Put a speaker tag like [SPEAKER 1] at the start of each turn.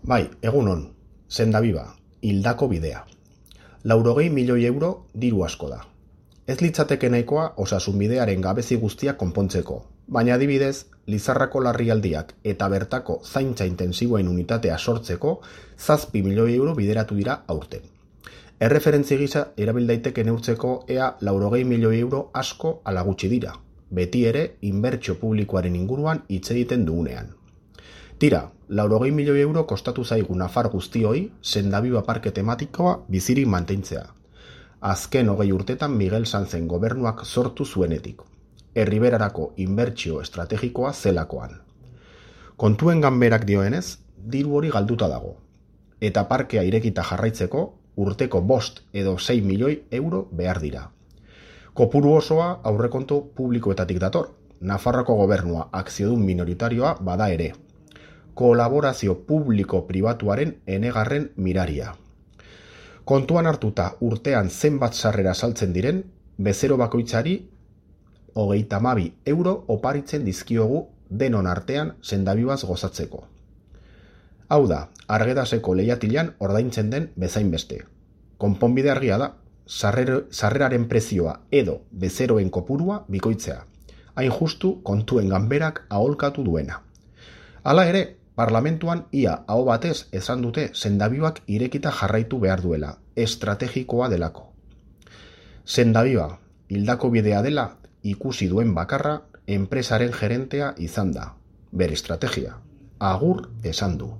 [SPEAKER 1] Bai, egunon, Sendaviva, hildako bidea. 80 milioi euro diru asko da. Ez litzateke nahikoa osasunbidearen gabezi guztiak konpontzeko, baina adibidez, Lizarrako larrialdiak eta bertako zaintza intensiboen unitatea sortzeko 7 milioi euro bideratu dira aurten. Erreferentzi gisa erabil daiteke neurtzeko ea 80 milioi euro asko ala gutxi dira, beti ere inbertsio publikoaren inguruan hitz egiten dugunean. Tira, 80 milioi euro kostatu zaigu nafar guztioi Sendaviva parke tematikoa bizirik mantentzea. Azken 20 urtetan Miguel Sanzen gobernuak sortu zuenetik. Erriberarako inbertsio estrategikoa zelakoan. Kontuen ganberak dioenez, diru hori galduta dago. Eta parkea irekita jarraitzeko urteko 5 edo 6 milioi euro behar dira. Kopuru osoa aurrekontu publikoetatik dator. Nafarroako gobernua akziodun minoritarioa bada ere. Kolaborazio publiko-pribatuaren enegarren miraria. Kontuan hartuta urtean zenbat sarrera saltzen diren, bezero bakoitzari 32 euro oparitzen dizkiogu denon artean Sendavivaz gozatzeko. Hau da, Argedaseko lehiatilan ordaintzen den bezainbeste. Konponbide argia da, sarreraren prezioa edo bezeroen kopurua bikoitzea. Hain justu kontuen ganberak aholkatu duena. Hala ere, parlamentuan ia aho batez esan dute Sendavivak irekita jarraitu behar duela, estrategikoa delako. Sendaviva, hildako bidea dela, ikusi duen bakarra, enpresaren gerentea izan da. Bere estrategia, agur esan du.